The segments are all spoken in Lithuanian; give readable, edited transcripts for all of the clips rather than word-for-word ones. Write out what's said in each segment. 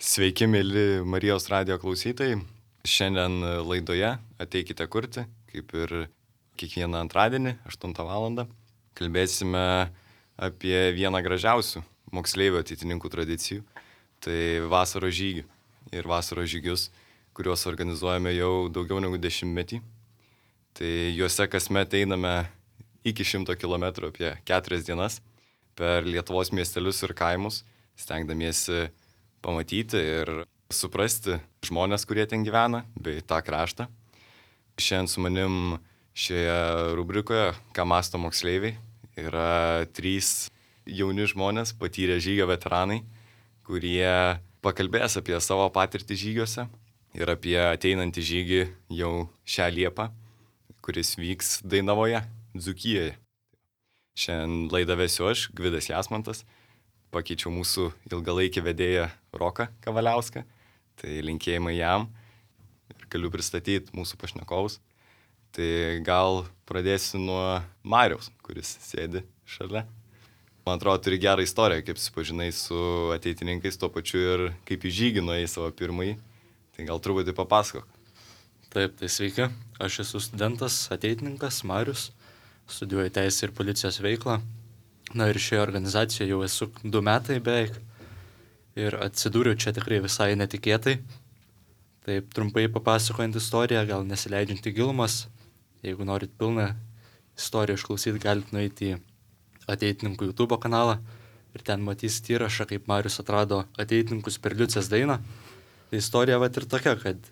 Sveiki, mėly Marijos radijo klausytojai. Šiandien laidoje Ateikite kurti, kaip ir kiekvieną antradienį, 8 val. Kalbėsime apie vieną gražiausių moksleivių ateitininkų tradicijų. Tai vasaros žygį ir vasaros žygius, kuriuos organizuojame jau daugiau negu 10-metį. Tai juose kasmet einame iki 100 km apie 4 dienas per Lietuvos miestelius ir kaimus, stengdamiesi pamatyti ir suprasti žmonės, kurie ten gyvena, bei tą kraštą. Šiandien su manim šioje rubrikoje, ką mąsto moksleiviai, yra 3 jauni žmonės, patyrę žygio veteranai, kurie pakalbės apie savo patirtį žygiuose ir apie ateinantį žygį jau šią Liepą, kuris vyks Dainavoje, Dzūkijoje. Šiandien laidą vesiu aš, Gvidas Jasmantas. Pakeičiau mūsų ilgalaikį vedėją Roką Kavaliauską, tai linkėjimai jam ir galiu pristatyti mūsų pašnekovus. Tai gal pradėsiu nuo Mariaus, kuris sėdi šalia. Man atrodo, turi gerą istoriją, kaip susipažinai su ateitininkais, tuo pačiu ir kaip į žygį nuėjai savo pirmąjį. Tai gal truputį papasakok. Taip, tai sveiki. Aš esu studentas, ateitininkas Marius, studijuoju teisę ir policijos veiklą. Na ir šioje organizacijoje jau esu 2 metai beveik ir atsidūriau čia tikrai visai netikėtai. Taip trumpai papasakojant istoriją, gal nesileidžiant į gilumas. Jeigu norit pilną istoriją išklausyti, galite nueiti į ateitininkų YouTube kanalą ir ten matysit įrašą, kaip Marius atrado ateitininkus per Liucės dainą. Tai istorija vat ir tokia, kad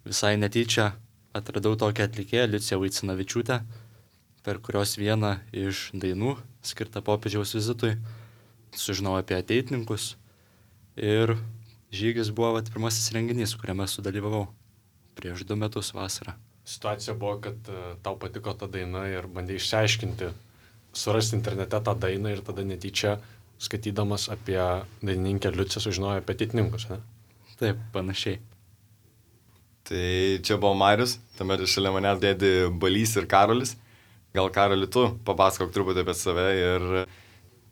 visai netyčia atradau tokią atlikėją Liuciją Vaicinavičiūtę, per kurios vieną iš dainų, skirtą popiežiaus vizitui, sužinojau apie ateitininkus ir žygis buvo pirmasis renginys, kuriame sudalyvavau prieš 2 metus vasarą. Situacija buvo, kad tau patiko ta daina ir bandė išsiaiškinti, surasti internete tą dainą ir tada netyčia, skaitydamas apie dainininkę Liuciją, sužinojau apie ateitininkus, ne? Taip, panašiai. Tai čia buvo Marius, tuomet šalia manęs dėdi Balys ir Karolis. Gal Karoli, tu papasakok truputį apie save ir,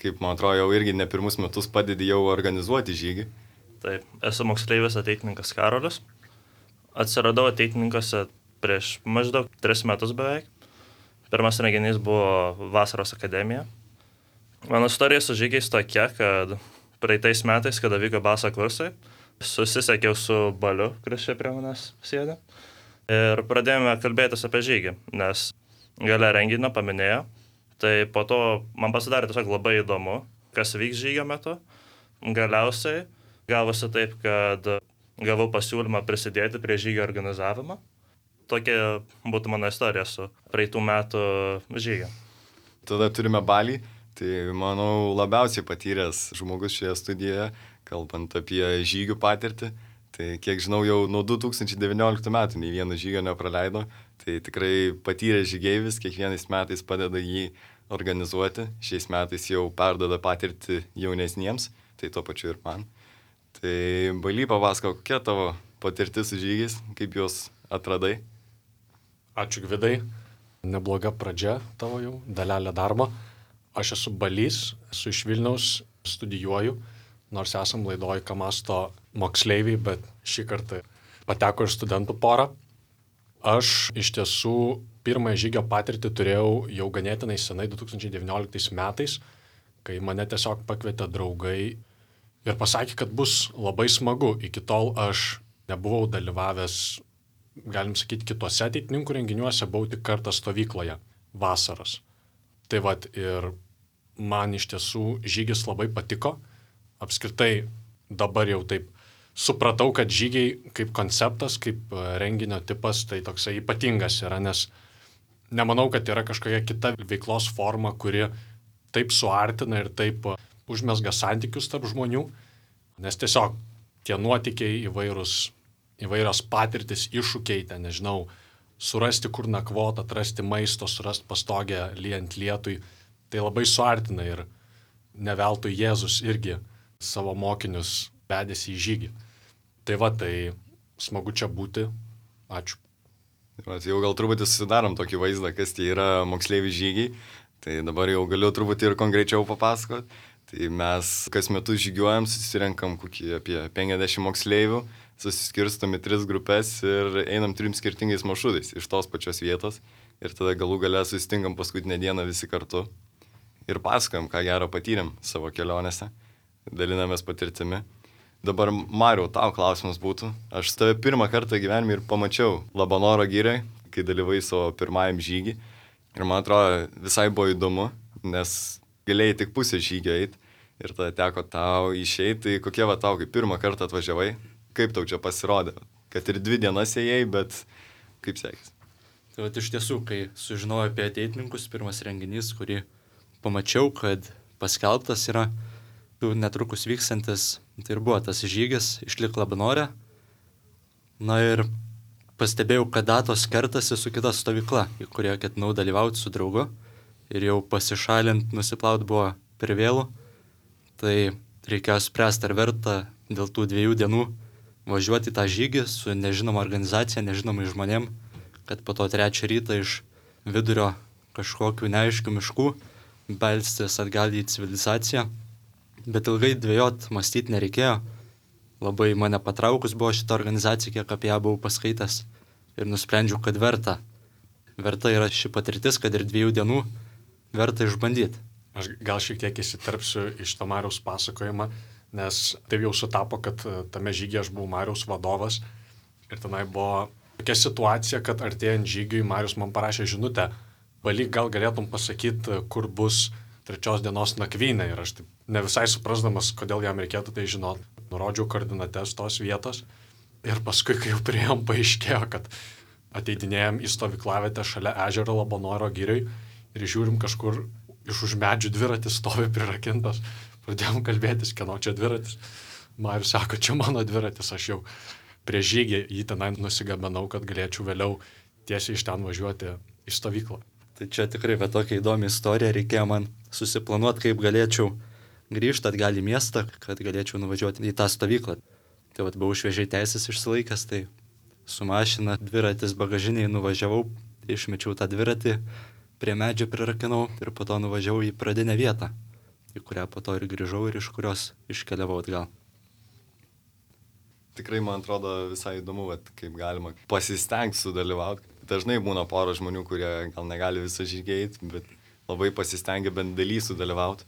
kaip man atrodo, jau irgi ne pirmus metus padedi jau organizuoti žygį. Taip, esu moksleivis ateitininkas Karolis. Atsiradau ateitininkuose prieš maždaug 3 metus beveik. Pirmas renginys buvo Vasaros akademija. Mano istorija su žygiais tokia, kad praeitais metais, kada vyko baso kursai, susisiekiau su Baliu, kuris čia prie manęs sėdi. Ir pradėjome kalbėtis apie žygį, nes gale renginio paminėjo. Tai po to man pasidarė tiesiog labai įdomu, kas vyks žygio metu. Galiausiai gavosi taip, kad gavau pasiūlymą prisidėti prie žygio organizavimo. Tokia būtų mano istorija su praeitų metų žygio. Tada turime Balį, tai manau labiausiai patyręs žmogus šioje studijoje, kalbant apie žygių patirtį. Tai kiek žinau, jau nuo 2019 metų nei vieno žygio nepraleido. Tai tikrai patyręs žygeivis, kiekvienais metais padeda jį organizuoti. Šiais metais jau perdada patirtį jaunesniems, tai tuo pačiu ir man. Tai Baly, papasakok, kokia tavo patirtis su žygiais, kaip juos atradai? Ačiū Gvidai, nebloga pradžia tavo jau, dalelė darbo. Aš esu Balys, esu iš Vilniaus, studijuoju, nors esam laidoj, ką mąsto moksleiviai, bet šį kartą pateko ir studentų porą. Aš iš tiesų pirmąją žygio patirtį turėjau jau ganėtinai senai 2019 metais, kai mane tiesiog pakvietė draugai ir pasakė, kad bus labai smagu. Iki tol aš nebuvau dalyvavęs, galim sakyti, kitose ateitininkų renginiuose, buvau tik kartą stovykloje vasaros. Tai vat ir man iš tiesų žygis labai patiko. Apskritai dabar jau taip supratau, kad žygiai kaip konceptas, kaip renginio tipas, tai toksai ypatingas yra, nes nemanau, kad yra kažkokia kita veiklos forma, kuri taip suartina ir taip užmesga santykius tarp žmonių, nes tiesiog tie nuotykiai įvairios patirtis, iššūkiai, ten, nežinau, surasti kur nakvot, atrasti maisto, surasti pastogę lyjant lietui, tai labai suartina ir ne veltui Jėzus irgi savo mokinius vedėsi į žygį. Tai va, tai smagu čia būti. Ačiū. Jau gal truputį susidarom tokį vaizdą, kas tai yra moksleivių žygiai. Tai dabar jau galiu truputį ir konkrečiau papasakoti. Tai mes kas metus žygiuojam, susirenkam apie 50 moksleivių, susiskirstom į 3 grupės ir einam 3 skirtingais maršrutais iš tos pačios vietos. Ir tada galų gale susitinkam paskutinę dieną visi kartu ir pasakojam, ką gero patyrėm savo kelionėse, dalinamės patirtimi. Dabar, Mariau, tau klausimas būtų. Aš tave pirmą kartą gyvenime ir pamačiau Labanoro girioj, kai dalyvai savo pirmajam žygį. Ir man atrodo, visai buvo įdomu, nes galėjai tik pusę žygio eiti ir tada teko tau išeiti. Tai kokie va tau, kai pirmą kartą atvažiavai, kaip tau čia pasirodė? Kad ir 2 dienas ėjai, bet kaip sekėsi? Tai va, iš tiesų, kai sužinojau apie ateitininkus, pirmas renginys, kurį pamačiau, kad paskelbtas yra netrukus vykstantis, tai ir buvo tas žygis Išlik Labanore. Na ir pastebėjau, kad datos kertasi su kita stovykla, į kurią ketinau dalyvauti su draugu. Ir jau pasišalint, nusiplaut buvo per vėlų. Tai reikėjo spręsti, ar verta dėl tų 2 dienų važiuoti į tą žygį su nežinoma organizacija, nežinomai žmonėm, kad po to 3 rytą iš vidurio kažkokių neaiškių miškų belstis atgal į civilizaciją. Bet ilgai dvejot, mąstyti nereikėjo. Labai mane patraukus buvo šita organizacija, kiek apie ją buvau paskaitęs. Ir nusprendžiau, kad verta. Verta yra ši patirtis, kad ir 2 dienų verta išbandyti. Aš gal šiek tiek įsiterpsiu iš to Mariaus pasakojimą, nes taip jau sutapo, kad tame žygyje aš buvau Mariaus vadovas. Ir tenai buvo tokia situacija, kad artėjant žygiui Marius man parašė žinutę. Valyk, gal galėtum pasakyti, kur bus 3 dienos nakvynė. Ir aš taip ne visai suprasdamas, kodėl jam reikėtų tai žinot. Nurodžiau koordinates tos vietos. Ir paskui, kai jau priėjom, paaiškėjo, kad ateidinėjom į stovyklavietę šalia ežero Labanoro girioj ir žiūrim kažkur iš už medžių dviratis stovi prirakintas. Pradėjom kalbėtis, kieno čia dviratis. Marius sako, čia mano dviratis, aš jau prieš žygį jį tenai nusigabenau, kad galėčiau vėliau tiesiai iš ten važiuoti į stovyklą. Tai čia tikrai bet tokia įdomi istorija, reikėjo man susiplanuoti, kaip galėčiau grįžti atgal į miestą, kad galėčiau nuvažiuoti į tą stovyklą. Tai vat, buvau šviežiai teisės išsilaikęs, tai su mašina dviratis bagažiniai nuvažiavau, išmečiau tą dviratį, prie medžio prirakinau ir po to nuvažiavau į pradinę vietą, į kurią po to ir grįžau ir iš kurios iškeliavau atgal. Tikrai man atrodo visai įdomu, kaip galima pasistengti sudalyvauti. Dažnai būna pora žmonių, kurie gal negali visą žygį eiti, bet labai pasistengia bent daly sudalyvauti.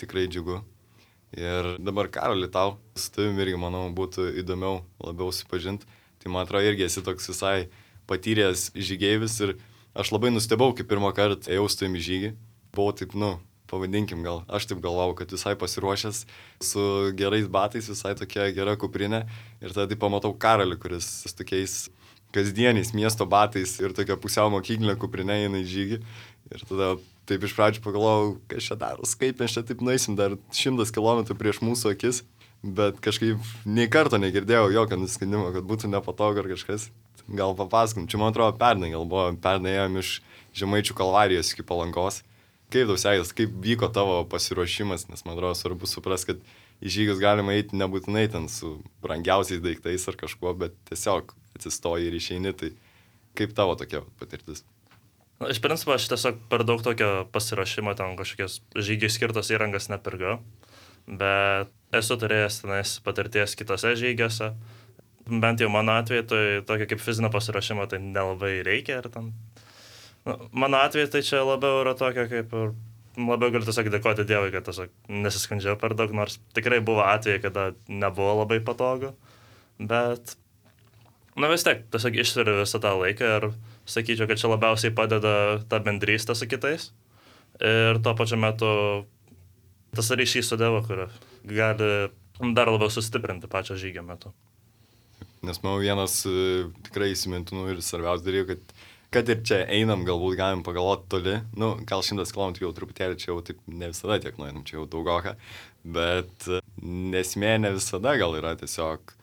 Tikrai džiugu. Ir dabar, Karoli, tau su tavimi irgi, manau, būtų įdomiau labiau susipažinti. Tai man atrodo, irgi esi toks visai patyręs žygeivis ir aš labai nustebau, kai pirmą kartą ėjau su tavimi žygį. Buvau taip, pavadinkim gal, aš taip galvau, kad visai pasiruošęs su gerais batais, visai tokia gera kuprinė. Ir tada taip pamatau Karolį, kuris su tokiais kasdieniais miesto batais ir tokia pusiau mokyklinė kuprinė eina į žygį. Ir tada taip iš pradžių pagalvojau, kas čia daros, kaip mes čia taip nueisim dar 100 km prieš mūsų akis. Bet kažkaip nei karto negirdėjau jokio nusiskandimo, kad būtų nepatogu ar kažkas. Gal papasakom, čia man atrodo pernai ėjom iš Žemaičių Kalvarijos iki Palangos. Kaip tau sekės, kaip vyko tavo pasiruošimas, nes man atrodo svarbu suprasti, kad į žygius galima eiti nebūtinai ten su brangiausiais daiktais ar kažkuo, bet tiesiog atsistoji ir išeini, tai kaip tavo tokia patirtis? Iš principo aš tiesiog per daug tokio pasiruošimo, ten kažkokios žygiai skirtos įrangas nepirgau, bet esu turėjęs tenais patirties kitose žygiuose. Bent jau mano atveju, tai tokio kaip fizinio pasiruošimo tai nelabai reikia. Ir ten... Mano atveju tai čia labiau yra tokio kaip ir... Labiau galiu tiesiog dėkoti Dievui, kad tiesiog nesiskandžiau per daug, nors tikrai buvo atvejai, kada nebuvo labai patogu. Bet... vis tiek, tiesiog išsveriu visą tą laiką ir sakyčiau, kad čia labiausiai padeda ta bendrystė su kitais. Ir tuo pačiu metu tas ryšys su Dievu, kur gali dar labiau sustiprinti pačią žygio metu. Nes manau, vienas tikrai įsimintinų ir svarbiausių dalykų, kad ir čia einam, galbūt galim pagalvoti toli. Gal 100 km jau truputėlį, čia jau taip ne visada tiek nueinam, čia jau daugoka. Bet nesmė ne visada gal yra tiesiog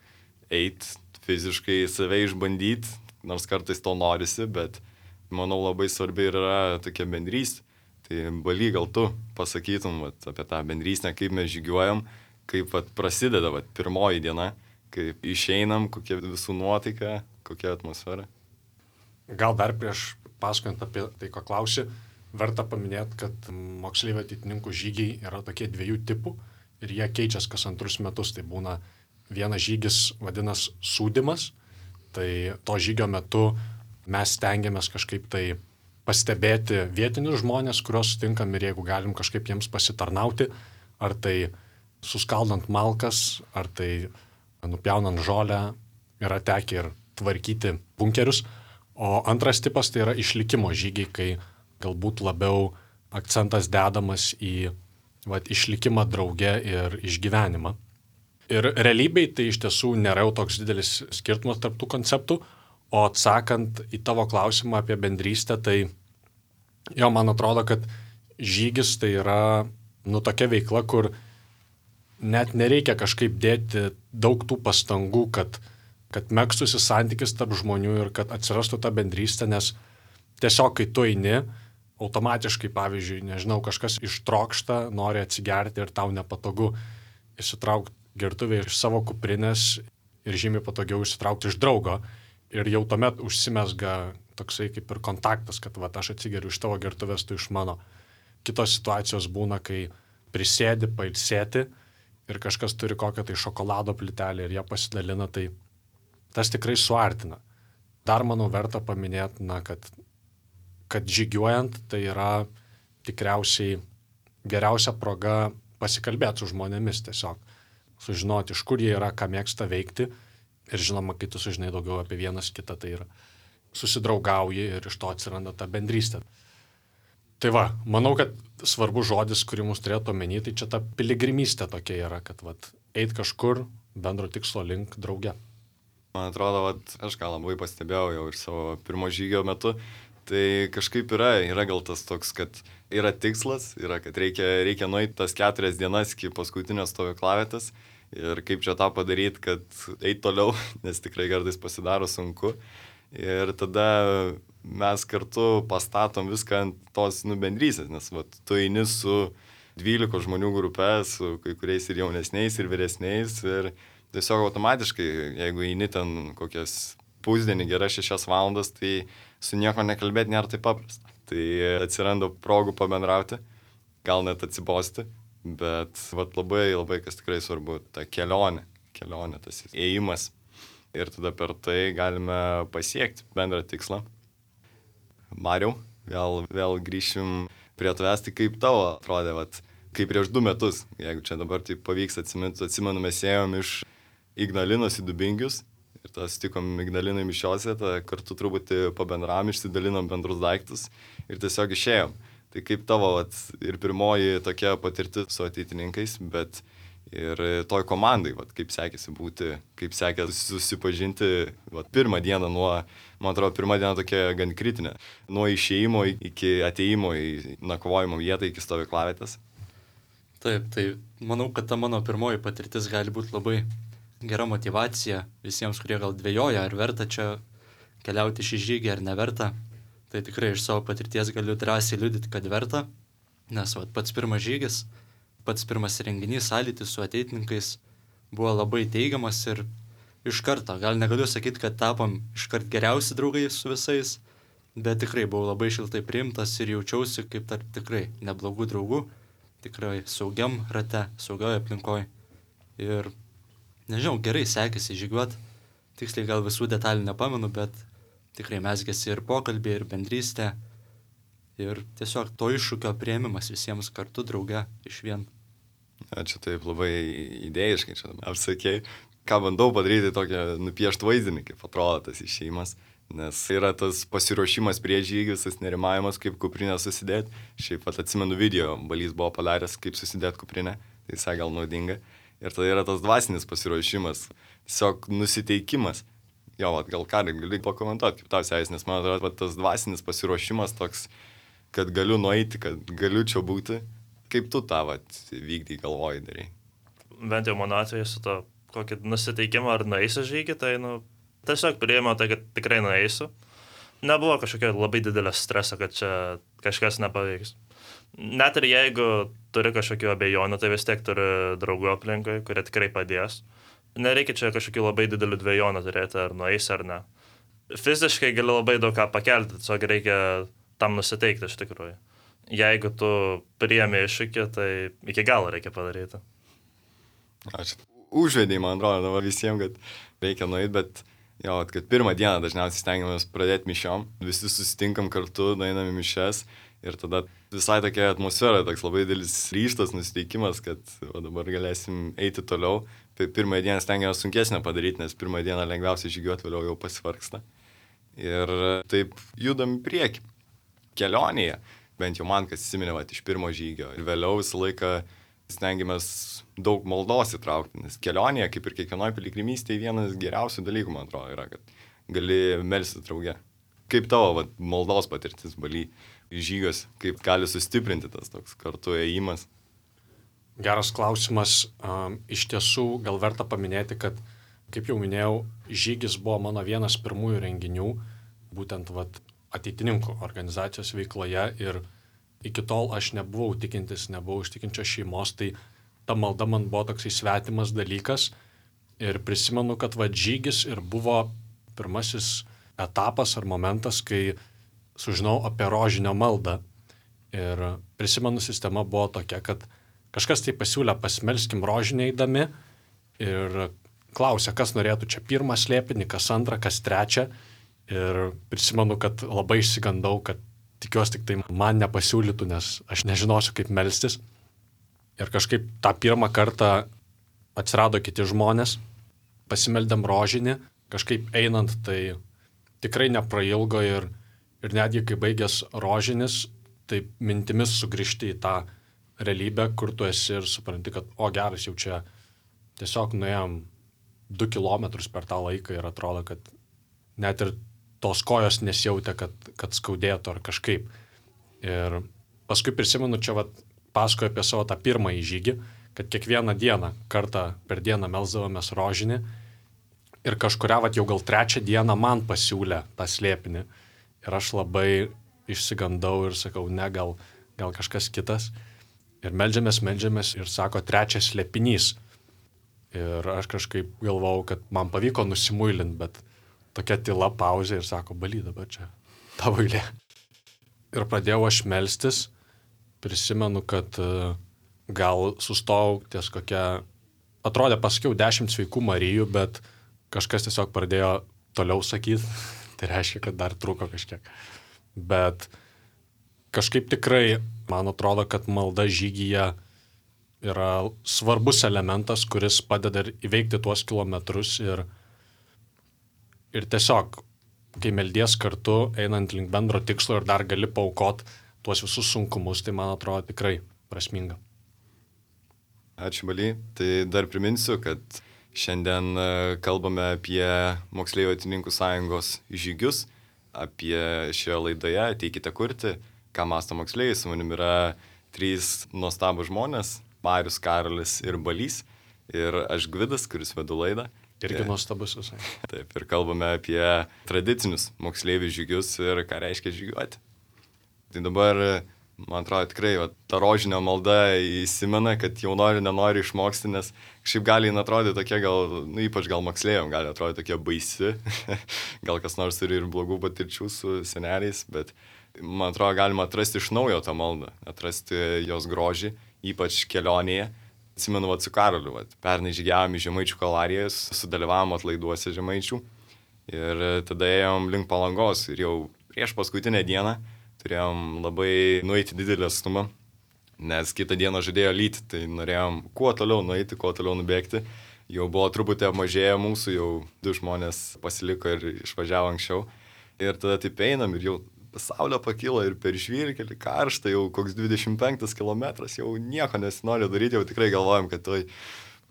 eiti fiziškai save išbandyti, nors kartais to norisi, bet manau labai svarbi yra tokia bendrystė. Tai Baly, gal tu pasakytum apie tą bendrystę, kaip mes žygiuojam, kaip prasideda pirmoji diena, kaip išeinam, kokia visų nuotaika, kokia atmosfera. Gal dar prieš pasakojant apie tai, ko klausi, verta paminėti, kad moksleivių ateitininkų žygiai yra tokie 2 tipų ir jie keičiasi kas 2 metus. Tai būna vienas žygis vadinasi sūdymas, tai to žygio metu mes stengiamės kažkaip tai pastebėti vietinius žmonės, kuriuos sutinkam ir jeigu galim kažkaip jiems pasitarnauti, ar tai suskaldant malkas, ar tai nupjaunant žolę, yra tekę ir tvarkyti bunkerius. O antras tipas tai yra išlikimo žygiai, kai galbūt labiau akcentas dedamas į išlikimą drauge ir išgyvenimą. Ir realybėj tai iš tiesų nėra jau toks didelis skirtumas tarp tų konceptų, o atsakant į tavo klausimą apie bendrystę, tai man atrodo, kad žygis tai yra tokia veikla, kur net nereikia kažkaip dėti daug tų pastangų, kad megztųsi santykis tarp žmonių ir kad atsirastų ta bendrystė, nes tiesiog kai tu eini, automatiškai, pavyzdžiui, nežinau, kažkas ištrokšta, nori atsigerti ir tau nepatogu išsitraukti gertuvę iš savo kuprinės ir žymiai patogiau išsitraukti iš draugo. Ir jau tuomet užsimesga toksai kaip ir kontaktas, kad aš atsigeriu iš tavo gertuvės, tu iš mano. Kitos situacijos būna, kai prisėdi pailsėti ir kažkas turi kokią tai šokolado plytelę ir ją pasidalina, tai tas tikrai suartina. Dar, manau, verta paminėti, kad žygiuojant tai yra tikriausiai geriausia proga pasikalbėti su žmonėmis tiesiog. Sužinoti, iš kur jie yra, ką mėgsta veikti. Ir žinoma, kai tu sužinai daugiau apie vienas kitą, tai yra susidraugauji ir iš to atsiranda ta bendrystė. Tai manau, kad svarbus žodis, kurį mums turėtų omeny, tai čia ta piligrimystė tokia yra, kad eit kažkur bendro tikslo link drauge. Man atrodo, aš gal labai pastebėjau jau ir savo pirmo žygio metu, tai kažkaip yra gal tas toks, kad yra tikslas, kad reikia nueiti tas 4 dienas iki paskutinės stovyklavietės ir kaip čia tą padaryti, kad eit toliau, nes tikrai kartais pasidaro sunku. Ir tada mes kartu pastatom viską ant tos bendrystės, nes tu eini su 12 žmonių grupe, su kai kuriais ir jaunesniais, ir vyresniais, ir tiesiog automatiškai, jeigu eini ten kokias pusdienį geras 6 valandas, tai su nieko nekalbėti nėra taip paprasta. Tai atsiranda progų pabendrauti, gal net atsibosti, bet labai, labai kas tikrai svarbu, ta kelionė, tas ėjimas. Ir tada per tai galime pasiekti bendrą tikslą. Mariau, vėl grįšim prie tavęs, tai kaip tavo atrodė, kaip prieš 2 metus, jeigu čia dabar tai pavyks atsimenu, mes ėjom iš Ignalinos į Dubingius ir tada sutikom Ignalinai mišiose, tada kartu truputį pabendravom, išsidalinom bendrus daiktus ir tiesiog išėjom. Tai kaip tavo ir pirmoji tokia patirtis su ateitininkais, bet ir toj komandai, kaip sekėsi būti, kaip sekėsi susipažinti, pirmą dieną man atrodo, pirmą dieną tokia gan kritinė, nuo išėjimo iki ateimo į nakvojimo vietą iki stovyklavietės. Taip, tai manau, kad ta mano pirmoji patirtis gali būti labai gera motyvacija visiems, kurie gal dvejoja, ar verta čia keliauti šį žygį ar neverta. Tai tikrai iš savo patirties galiu drąsiai liudyti, kad verta, nes pats pirmas žygis, pats pirmas renginys, sąlytis su ateitininkais buvo labai teigiamas ir iš karto, gal negaliu sakyti, kad tapom iškart geriausi draugai su visais, bet tikrai buvau labai šiltai priimtas ir jaučiausi kaip tarp tikrai neblogų draugų, tikrai saugiam rate, saugioj aplinkoje. Ir nežinau, gerai sekėsi žygiuoti, tiksliai gal visų detalių nepamenu, bet tikrai mesgėsi ir pokalbė, ir bendrystė, ir tiesiog to iššūkio priėmimas visiems kartu drauge iš vien. Čia taip labai idėjiškai čia apsakei. Ką bandau padaryti tokią nupieštų vaizdinį, kaip atrodo tas išėjimas, nes yra tas pasiruošimas prie žygius, tas nerimavimas, kaip kuprinę susidėti. Šiaip atsimenu video, Balys buvo padaręs, kaip susidėti kuprinę, tai visai gal naudinga. Ir tada yra tas dvasinis pasiruošimas, tiesiog nusiteikimas. Jo, gal ką, gali pakomentuoti, kaip tau sekėsi, nes man atrodo, tas dvasinis pasiruošimas toks, kad galiu nueiti, kad galiu čia būti. Kaip tu tą vykdai, galvoji, darai? Bent jau mano atveju su to kokį nusiteikimą ar nueisiu žygį, tai tiesiog priėmiau tai, kad tikrai nueisiu. Nebuvo kažkokio labai didelio streso, kad čia kažkas nepavyks. Net ir jeigu turi kažkokių abejonių, tai vis tiek turi draugų aplinkui, kurie tikrai padės. Nereikia čia kažkokių labai didelių dvejonių turėti, ar nueisi ar ne. Fiziškai gali labai daug ką pakelti, tiesiog reikia tam nusiteikti iš tikrųjų. jeigu tu priėmė iššūkį, tai iki galo reikia padaryti. Aš užvedėjai, man atrodo, dabar visiems, kad reikia nueiti, bet jo, kad pirmą dieną dažniausiai stengiamės pradėti mišiom, visi susitinkam kartu, nueinam į mišes ir tada visai tokia atmosfera, toks labai didelis ryžtas, nusiteikimas, kad dabar galėsim eiti toliau. Pirmąją dieną stengiamės sunkesnę padaryti, nes pirmą dieną lengviausiai žygiuoti, vėliau jau pasivargsta. Ir taip judam į priekį. Kelionėje, bent jau man, kas įsiminė iš pirmo žygio. Ir vėliau visą laiką stengiamės daug maldos įtraukti, nes kelionėje, kaip ir kiekvienoje piligrimystėje, vienas geriausių dalykų, man atrodo, yra, kad gali melstis drauge. Kaip tavo maldos patirtis Baly žygios, kaip gali sustiprinti tas toks kartu ėjimas? Geras klausimas. Iš tiesų, gal verta paminėti, kad, kaip jau minėjau, žygis buvo mano vienas pirmųjų renginių, būtent ateitininkų organizacijos veikloje ir iki tol aš nebuvau tikintis, nebuvau iš tikinčios šeimos, tai ta malda man buvo toksai svetimas dalykas ir prisimenu, kad žygis ir buvo pirmasis etapas ar momentas, kai sužinau apie rožinio maldą ir prisimenu, sistema buvo tokia, kad kažkas tai pasiūlė pasmelskim rožinį eidami ir klausė, kas norėtų čia pirmą slėpinį, kas antrą, kas trečią ir prisimenu, kad labai išsigandau, kad tikiuosi tik tai man nepasiūlytų, nes aš nežinosiu, kaip melstis. Ir kažkaip tą pirmą kartą atsirado kiti žmonės, pasimeldėm rožinį, kažkaip einant tai tikrai neprailgo ir netgi kai baigęs rožinis, tai mintimis sugrįžti į tą realybę, kur tu esi ir supranti, kad geras, jau čia tiesiog nuėjom 2 kilometrus per tą laiką ir atrodo, kad net ir tos kojos nesijautė, kad skaudėtų ar kažkaip. Ir paskui prisimenu, čia pasakoju apie savo tą pirmąjį žygį, kad kiekvieną dieną, kartą per dieną melsdavomės rožinį ir kažkurią jau gal 3 dieną man pasiūlė tą slėpinį. Ir aš labai išsigandau ir sakau, ne, gal kažkas kitas. Ir meldžiamės ir sako 3 slėpinys. Ir aš kažkaip galvojau, kad man pavyko nusimuilinti, bet tokia tyla pauzė ir sako, Baly, dabar čia tavo eilė. Ir pradėjau aš melstis, prisimenu, kad gal sustojau ties kokia, atrodė pasakiau 10 sveikų Marijų, bet kažkas tiesiog pradėjo toliau sakyti, tai reiškia, kad dar truko kažkiek. Bet kažkaip tikrai, man atrodo, kad malda žygyje yra svarbus elementas, kuris padeda įveikti tuos kilometrus ir tiesiog, kai meldies kartu, einant link bendro tikslo ir dar gali paaukoti tuos visus sunkumus, tai man atrodo tikrai prasminga. Ačiū, Baly. Tai dar priminsiu, kad šiandien kalbame apie Moksleivių ateitininkų sąjungos žygius, apie šioje laidoje Ateikite kurti, ką mąsto moksleiviai. Su manim yra 3 nuostabūs žmonės, Marius, Karolis ir Balys. Ir aš Gvidas, kuris vedu laidą. Irgi nuostabus visai. Taip, ir kalbame apie tradicinius moksleivių žygius ir ką reiškia žygiuoti. Tai dabar, man atrodo, tikrai ta rožinio malda įsimena, kad jau nenori išmoksti, nes kažkaip gali atrodyti tokia gal, ypač gal moksleiviam, gali atrodyti tokia baisi. Gal kas nors turi ir blogų patirčių su seneliais, bet man atrodo, galima atrasti iš naujo tą maldą, atrasti jos grožį, ypač kelionėje. Atsimenu, su Karoliu, pernai žygiavom į Žemaičių kalvarijas, sudalyvavom atlaiduose Žemaičių ir tada ėjom link Palangos ir jau prieš paskutinę dieną turėjom labai nueiti didelį atstumą, nes kitą dieną žadėjo lyti, tai norėjom kuo toliau nueiti, kuo toliau nubėgti. Jau buvo truputį apmažėję mūsų, jau 2 žmonės pasiliko ir išvažiavo anksčiau. Ir tada taip einam ir jau saulė pakilo ir per žvyrkelį karšta, jau koks 25 kilometras, jau nieko nesinori daryti, jau tikrai galvojam, kad tai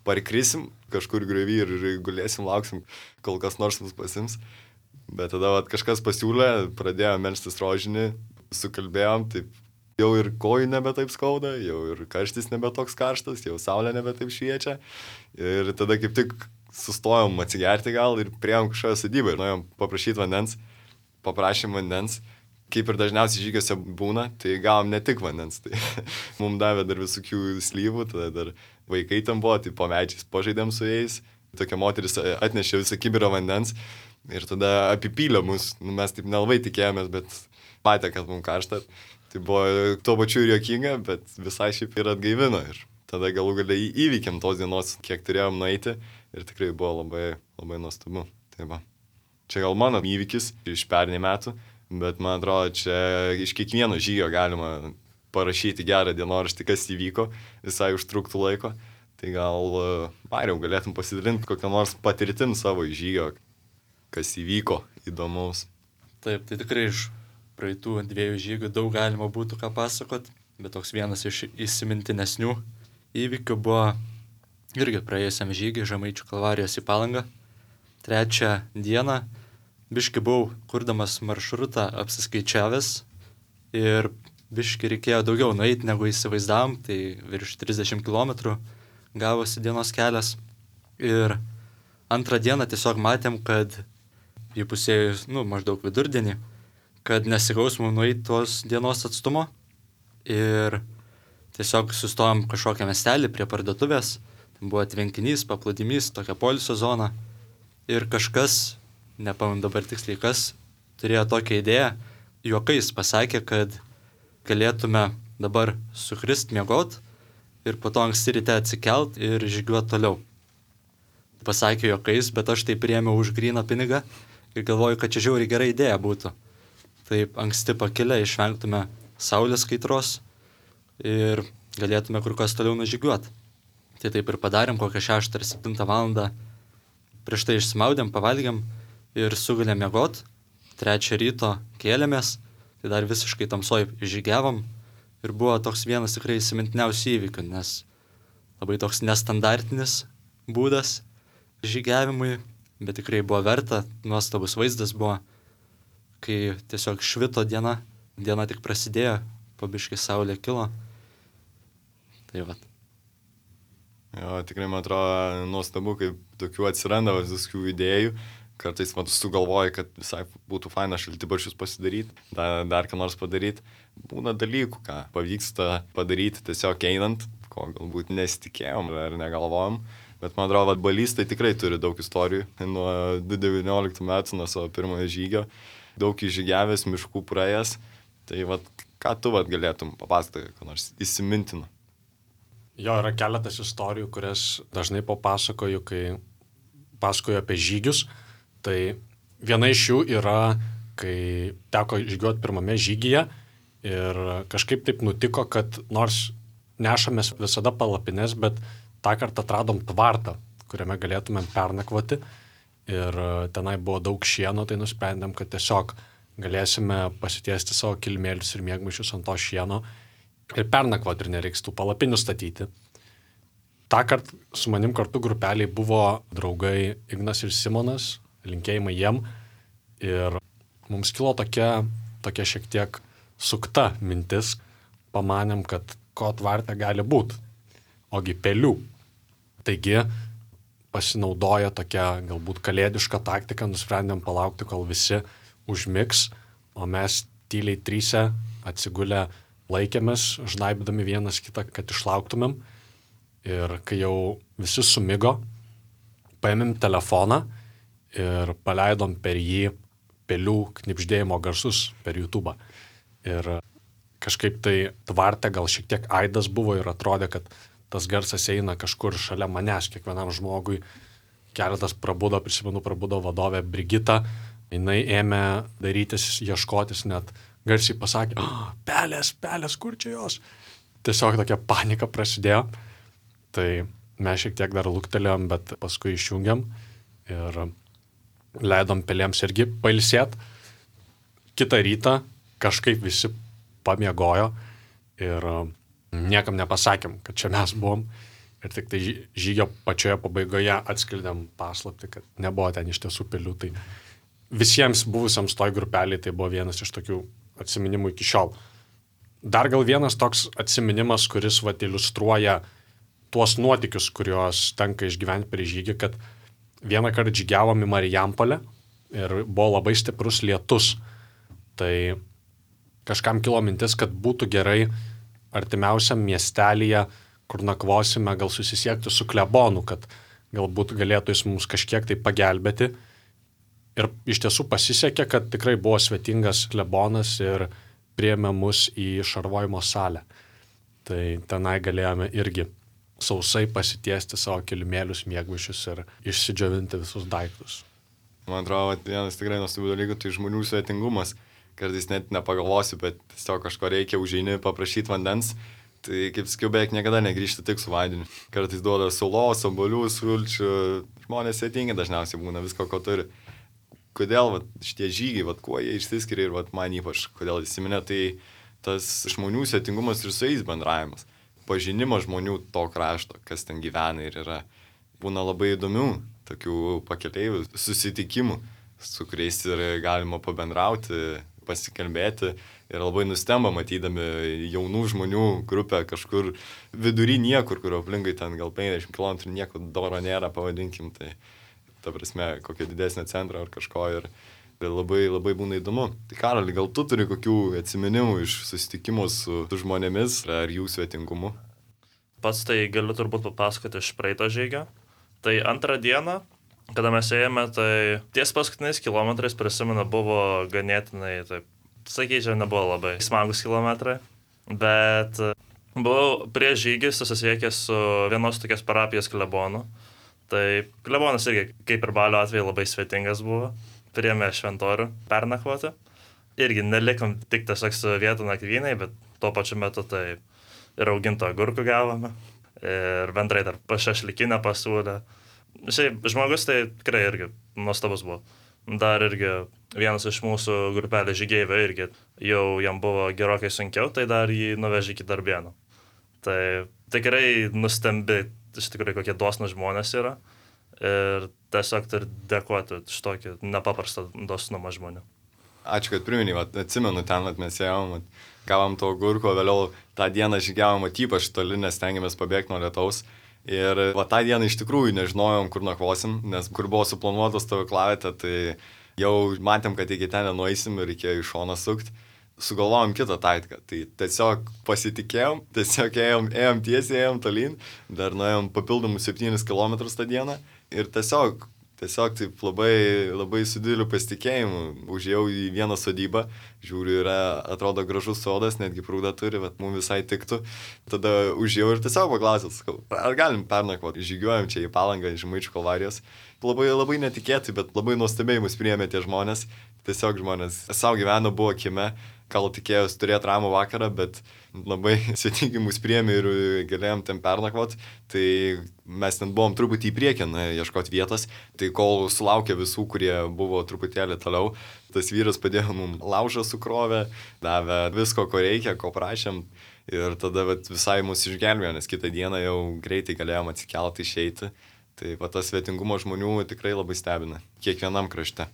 parkrisim kažkur griovy ir gulėsim, lauksim, kol kas nors mus pasims. Bet tada kažkas pasiūlė, pradėjome melstis rožinį, sukalbėjom, taip jau ir kojų nebe taip skauda, jau ir karštis nebe toks karštas, jau saulė nebe taip šviečia. Ir tada kaip tik sustojom atsigerti gal ir priėjom kažkokią sodybą ir norėjom paprašyti vandens, paprašėm vandens. Kaip ir dažniausiai žygiuose būna, tai gavom ne tik vandens, tai mums davė dar visokių slyvų, tada dar vaikai tam buvo, tai po medžiais pažaidėm su jais, tokia moteris atnešė visą kibirą vandens ir tada apipylė mus, mes taip nelabai tikėjomės, bet matė, kad mums karšta, Tai buvo tuo pačiu ir juokinga, bet visai šiaip ir atgaivino. Ir tada galų galiai įvykėm tos dienos, kiek turėjom nueiti ir tikrai buvo labai, labai nuostabu. Tai va. Čia gal mano įvykis iš pernai metų, bet man atrodo, čia iš kiekvieno žygio galima parašyti gerą dienoraštį, kas įvyko, visai užtruktų laiko. Tai gal, Mariau, galėtum pasidalinti kokią nors patirtim savo žygio, kas įvyko įdomaus. Taip, tai tikrai iš praeitų 2 žygių daug galima būtų ką pasakot, bet toks vienas iš įsimintinesnių įvykių buvo irgi praėjusiam žygiui Žemaičių Kalvarijos į Palangą. 3 dieną biški buvau, kurdamas maršrutą, apsiskaičiavęs ir biški reikėjo daugiau nueiti negu įsivaizdavom, tai virš 30 km gavosi dienos kelias. Ir 2 dieną tiesiog matėm, kad įpusėjus, maždaug vidurdienį, kad nesigaus mums nueiti tos dienos atstumo. Ir tiesiog sustojom kažkokią miestelį prie parduotuvės. Ten buvo tvenkinys, paplūdimys, tokia poilsio zona. Ir kažkas, nepamenu dabar tiksliai kas, turėjo tokią idėją, juokais pasakė, kad galėtume dabar sukrist miegot ir po to anksti ryte atsikelt ir žygiuoti toliau. Pasakė juokais, bet aš tai priėmiau už gryną pinigą ir galvoju, kad čia žiauriai gera idėja būtų. Taip anksti pakilę išvengtume saulės kaitros ir galėtume kur kas toliau nužygiuoti. Tai taip ir padarėm, kokią 6 ar 7 valandą. Prieš tai išsimaudėm, pavalgėm ir sugulėm miegot. 3 ryto kėlėmės, tai dar visiškai tamsoj žygiavom. Ir buvo toks vienas tikrai įsimintiniausių įvykių, nes labai toks nestandartinis būdas žygiavimui, bet tikrai buvo verta, nuostabus vaizdas buvo, kai tiesiog švito diena tik prasidėjo, po biškį saulė kilo. Tai va. Jo, tikrai man atrodo nuostabu, kaip tokių atsiranda visokių idėjų. Kartais sugalvoji, kad visai būtų faina šaltibarščius pasidaryti, dar ką nors padaryti. Būna dalykų, ką pavyksta padaryti tiesiog einant, ko galbūt nesitikėjom ar negalvojom. Bet man atrodo, Balys tai tikrai turi daug istorijų. Nuo 2019 metų, nuo savo pirmojo žygio, daug įžygiavęs, miškų praėjęs. Tai ką tu galėtum papasakoti, ką nors įsimintino? Jo, yra keletas istorijų, kurias dažnai papasakoju, kai pasakoju apie žygius. Tai viena iš jų yra, kai teko žygiuoti pirmame žygyje ir kažkaip taip nutiko, kad nors nešamės visada palapines, bet tą kartą atradom tvartą, kuriame galėtumėm pernakvoti ir tenai buvo daug šieno, tai nusprendėm, kad tiesiog galėsime pasitiesti savo kilimėlius ir miegmaišius ant to šieno ir pernakvoti ir nereiks tų palapinių statyti. Ta kartą su manim kartu grupeliai buvo draugai Ignas ir Simonas, linkėjimai jiem. Ir mums kilo tokia šiek tiek sukta mintis. Pamanėm, kad ko tvarte gali būti. Ogi pelių. Taigi pasinaudoja tokia galbūt kalėdiška taktika, nusprendėm palaukti, kol visi užmigs, o mes tyliai 3 atsigulę laikėmės, žnaibdami vienas kitą, kad išlauktumėm. Ir kai jau visi sumigo, paėmėm telefoną ir paleidom per jį pelių knibždėjimo garsus per YouTube. Ir kažkaip tai tvarte gal šiek tiek aidas buvo ir atrodė, kad tas garsas eina kažkur šalia manęs, kiekvienam žmogui. Keletas prabudo vadovė Brigita, jinai ėmė darytis, ieškotis, net garsiai pasakė, pelės, kur čia jos? Tiesiog tokia panika prasidėjo. Tai mes šiek tiek dar luktelėjom, bet paskui išjungiam ir leidom pelėms irgi pailsėt. Kitą rytą kažkaip visi pamiegojo ir niekam nepasakėm, kad čia mes buvom. Ir tik tai žygio pačioje pabaigoje atskleidėm paslaptį, kad nebuvo ten iš tiesų pelių. Tai visiems buvusiams toj grupeliai tai buvo vienas iš tokių atsiminimų iki šiol. Dar gal vienas toks atsiminimas, kuris iliustruoja tuos nuotykius, kuriuos tenka išgyventi prie žygį, kad vieną kartą žygiavom į Marijampolę ir buvo labai stiprus lietus. Tai kažkam kilo mintis, kad būtų gerai artimiausiam miestelyje, kur nakvosime, gal susisiekti su klebonu, kad galbūt galėtų jis mums kažkiek tai pagelbėti. Ir iš tiesų pasisekė, kad tikrai buvo svetingas klebonas ir priėmė mus į šarvojimo salę. Tai tenai galėjome irgi sausai pasitiesti savo kilimėlius, miegmaišius ir išsidžiovinti visus daiktus. Man atrodo, vienas tikrai nuostabių dalykų, tai žmonių svetingumas. Kartais net nepagalvosiu, bet tiesiog kažko reikia, užeini paprašyti vandens. Tai kaip sakiau, beveik niekada negrįžti tik su vandeniu. Kartais duoda sulos, obuolių, sulčių. Žmonės svetingi dažniausiai būna visko, ko turi. Kodėl šitie žygiai, kuo jie išsiskiria ir man ypač, kodėl įsiminė, tai tas žmonių svetingumas ir su jais bendravimas. Pažinimas žmonių to krašto, kas ten gyvena ir yra. Būna labai įdomių tokių pakeleivių susitikimų, su kuriais ir galima pabendrauti, pasikalbėti. Ir labai nustemba matydami jaunų žmonių grupę kažkur vidury niekur, kur aplinkai ten gal 50 km nieko doro nėra, pavadinkim. Tai ta prasme, kokio didesnio centro ar kažko ir labai, labai būna įdomu. Tai Karoli, gal tu turi kokių atsiminimų iš susitikimų su žmonėmis ar jų svetingumu? Pats tai galiu turbūt papasakoti iš praeito žygio. Tai antrą dieną, kada mes ėjome, tai ties paskutiniais kilometrais, prisimenu, buvo ganėtinai, taip, sakyčiau, nebuvo labai smagus kilometrai, bet buvau prieš žygį susisiekęs su vienos tokios parapijos klebonu. Tai klebonas irgi, kaip ir Balio atveju, labai svetingas buvo. Priėmė šventorių pernakvoti. Irgi nelikom tik tiesiog su vietų nakvynai, bet tuo pačiu metu tai ir auginto agurkų gavome. Ir bendrai dar pašašlikinę pasiūlę. Šiaip žmogus tai tikrai irgi nuostabus buvo. Dar irgi vienas iš mūsų grupelės žygeivių irgi jau jam buvo gerokai sunkiau, tai dar jį nuvežė iki Darbėnų. Tai tikrai nustembi, iš tikrųjų, kokie dosnūs žmonės yra. Ir tiesiog turi dėkoti iš tokį nepaprastą dosnumą žmonių. Ačiū, kad priminai, atsimenu ten, mes ėjom, gavom to agurko, vėliau tą dieną žygiavom ypač toli, nes stengiamės pabėgti nuo lietaus. Ir tą dieną iš tikrųjų nežinojom, kur nakvosim, nes kur buvo suplanuotas stovyklavietė, tai jau matėm, kad iki ten nenueisim ir reikėjo iš šono sukti. Sugalvojom kitą taktiką, tai tiesiog pasitikėjom, tiesiog ėjom tiesiai, ėjom tolyn, dar nuėjom papildomus 7 km tą dieną ir tiesiog taip labai, labai su dideliu pasitikėjimu užėjau į vieną sodybą, žiūriu, atrodo gražus sodas, netgi prūdą turi, bet mums visai tiktų. Tada užėjau ir tiesiog paklausiau, ar galim pernakvoti, žygiuojam čia į Palangą, Žemaičių Kalvarijos. Labai, labai netikėtai, bet labai nuostabiai mus priėmė tie žmonės. Tiesiog žmonės savo gyveno, buvo kieme, gal tikėjos turėti ramų vakarą, bet labai svetingai mus priėmė ir galėjom ten pernakvoti. Tai mes ten buvom truputį į priekį, ieškoti vietos. Tai kol sulaukė visų, kurie buvo truputėlį toliau, tas vyras padėjo mums laužą sukrovę, davė visko, ko reikia, ko prašėm. Ir tada visai mus išgelbėjo, nes kitą dieną jau greitai galėjom atsikelti, išeiti. Tai tas svetingumo žmonių tikrai labai stebina, kiekvienam krašte.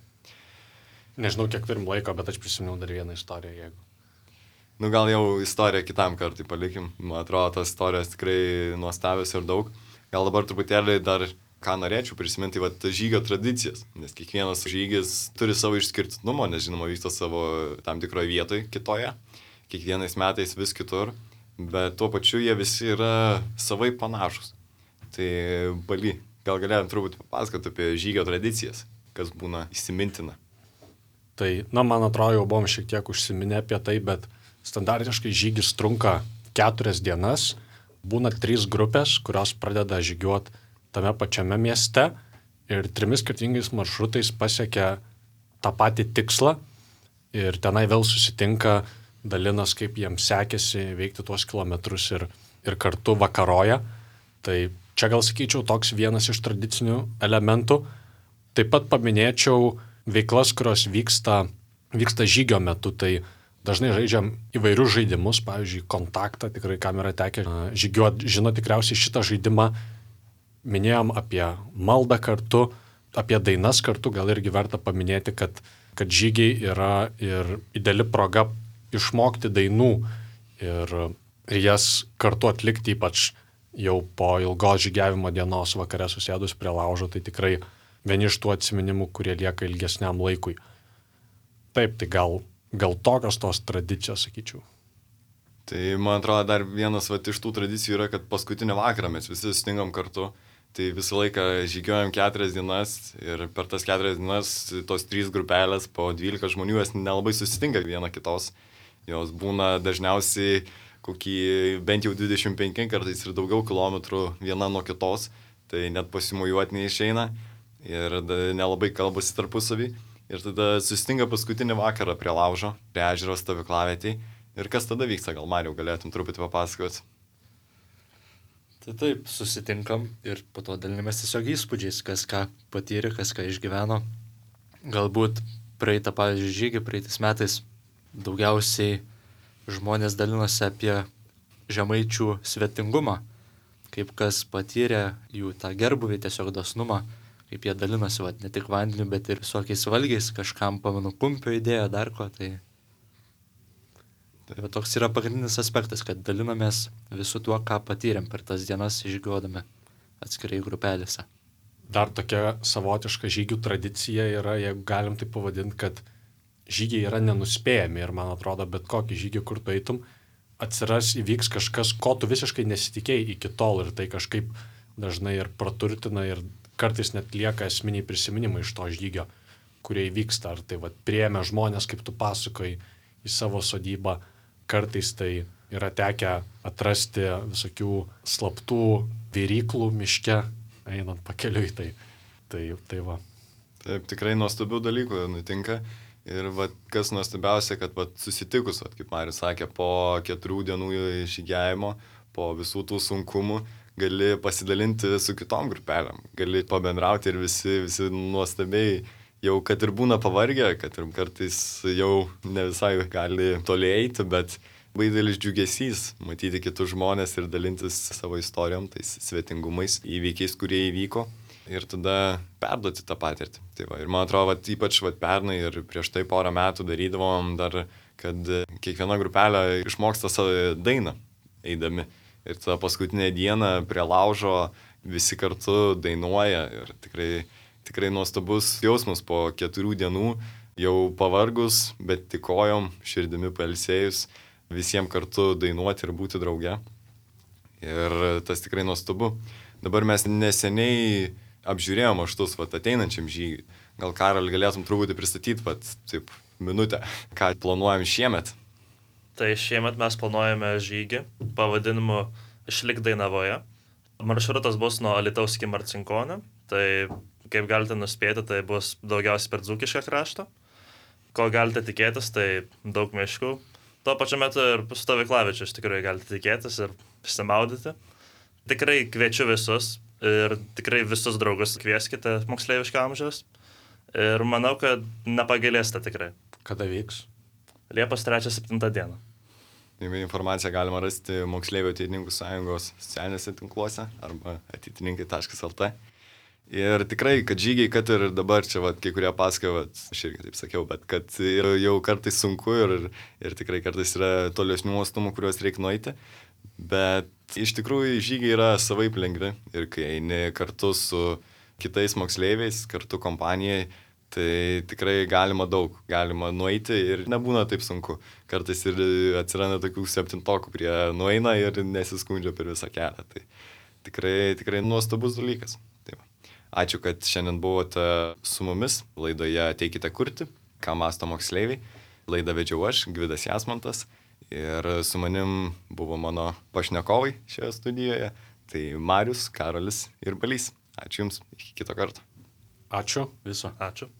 Nežinau, kiek turim laiko, bet aš prisiminiau dar vieną istoriją, jeigu. Gal jau istoriją kitam kartui palikim. Man atrodo, tas istorijos tikrai nuostabios ir daug. Gal dabar truputėlį dar ką norėčiau prisiminti, žygio tradicijas. Nes kiekvienas žygis turi savo išskirtinumą, nes žinoma vyksta savo tam tikroje vietoje kitoje. Kiekvienais metais vis kitur. Bet tuo pačiu jie visi yra savai panašus. Tai Bali, gal galėjom truputį papasakoti apie žygio tradicijas, kas būna įsimintina. Tai, man atrodo, jau buvom šiek tiek užsiminę apie tai, bet standartiškai žygis trunka 4 dienas, būna 3 grupės, kurios pradeda žygiuoti tame pačiame mieste ir 3 skirtingais maršrutais pasiekia tą patį tikslą ir tenai vėl susitinka, dalinas, kaip jiems sekėsi veikti tuos kilometrus ir kartu vakaroja. Tai čia gal sakyčiau toks vienas iš tradicinių elementų. Taip pat paminėčiau veiklas, kurios vyksta žygio metu, tai dažnai žaidžiam įvairius žaidimus, pavyzdžiui, kontaktą, tikrai kam yra tekę žygiuoti, žino tikriausiai šitą žaidimą, minėjom apie maldą kartu, apie dainas kartu, gal irgi verta paminėti, kad žygiai yra ir ideali proga išmokti dainų ir jas kartu atlikti, ypač jau po ilgos žygiavimo dienos vakare susėdus prie laužo, tai tikrai vieni iš tų atsiminimų, kurie lieka ilgesniam laikui. Taip, tai gal tokios tos tradicijos, sakyčiau. Tai man atrodo, dar vienas iš tų tradicijų yra, kad paskutinį vakarą mes visi sustingam kartu. Tai visą laiką žygiuojam 4 dienas ir per tas 4 dienas tos 3 grupelės po 12 žmonių, jas nelabai susitinka viena kitos. Jos būna dažniausiai kokį bent jau 25 kartais ir daugiau kilometrų viena nuo kitos, tai net pasimujuoti neišeina ir nelabai kalbasi tarpusavį. Ir tada susitinka paskutinį vakarą prie laužo, prie ežero stovyklavietėj. Ir kas tada vyksta, gal Mariau galėtum truputį papasakoti? Tai taip, susitinkam ir po to dalinamės tiesiog įspūdžiais, kas ką patyrė, kas ką išgyveno. Galbūt praeitą, pavyzdžiui, žygį praeitais metais daugiausiai žmonės dalinosi apie žemaičių svetingumą, kaip kas patyrė jų tą gerbuvį, tiesiog dosnumą, kaip jie dalinosi, ne tik vandeniu, bet ir visokiais valgiais, kažkam, pamenu, kumpio idėją, dar ko, tai toks yra pagrindinis aspektas, kad dalinamės visų tuo, ką patyrėm per tas dienas išgyvodami atskirai grupelėse. Dar tokia savotiška žygių tradicija yra, jeigu galim tai pavadinti, kad žygiai yra nenuspėjami ir man atrodo, bet kokį žygį, kur tu eitum, įvyks kažkas, ko tu visiškai nesitikėjai iki tol ir tai kažkaip dažnai ir praturtina ir kartais net lieka esminiai prisiminimai iš to žygio, kurie įvyksta. Ar tai priėmė žmonės, kaip tu pasakoji, į savo sodybą, kartais tai yra tekę atrasti visokių slaptų viryklų miške, einant pakeliui, tai va. Taip, tikrai nuostabių dalykų nutinka. Ir kas nuostabiausia, kad susitikus, kaip Marius sakė, po 4 dienų žygiavimo, po visų tų sunkumų, gali pasidalinti su kitom grupelėm, gali pabendrauti ir visi nuostabiai, jau kad ir būna pavargę, kad ir kartais jau ne visai gali toli eiti, bet labai didelis džiugesys matyti kitus žmonės ir dalintis savo istorijom, tais svetingumais, įvykiais, kurie įvyko. Ir tada perduoti tą patirtį. Tai ir man atrodo, ypač pernai ir prieš tai porą metų darydavom dar, kad kiekviena grupelė išmoksta savo dainą eidami. Ir tą paskutinę dieną prie laužo visi kartu dainuoja. Ir tikrai nuostabus jausmas po 4 dienų, jau pavargus, bet tik kojom, širdimi pailsėjus, visiems kartu dainuoti ir būti drauge. Ir tas tikrai nuostabu. Dabar mes neseniai apžiūrėjom aštus ateinančiam žygiui. Gal Karol galėtum truputį pristatyti, taip, minutę, ką planuojam šiemet? Tai šiemet mes planuojame žygį pavadinimu Išlik Dainavoje. Maršrutas bus nuo Alytaus iki Marcinkonio. Tai, kaip galite nuspėti, tai bus daugiausiai per Dzūkišką kraštą. Ko galite tikėtis, tai daug miškų. Tuo pačiu metu ir stovyklavičių iš tikrųjų galite tikėtis ir išsimaudyti. Tikrai kviečiu visus. Ir tikrai visus draugus kvieskite moksleiviško amžiaus. Ir manau, kad nepagailėsite tikrai. Kada vyks? Liepos 3-7 dieną. Informaciją galima rasti Moksleivių ateitininkų sąjungos socialiniuose tinkluose arba ateitininkai.lt. Ir tikrai, kad žygiai, kad ir dabar čia, kai kurie pasakoja, aš irgi taip sakiau, bet kad jau kartais sunku ir tikrai kartais yra tolesnių atstumų, kuriuos reikia nueiti. Bet iš tikrųjų žygiai yra savaip lengvi ir kai eini kartu su kitais moksleiviais, kartu kompanijai, tai tikrai galima nueiti ir nebūna taip sunku. Kartais ir atsiranda tokių 7-okų, kurie nueina ir nesiskundžia per visą kelią. Tai tikrai nuostabus dalykas. Tai ačiū, kad šiandien buvote su mumis laidoje Ateikite kurti, ką mąsto moksleiviai. Laidą vedžiau aš, Gvidas Jasmantas. Ir su manim buvo mano pašnekovai šioje studijoje, tai Marius, Karolis ir Balys. Ačiū Jums, iki kito karto. Ačiū. Viso. Ačiū.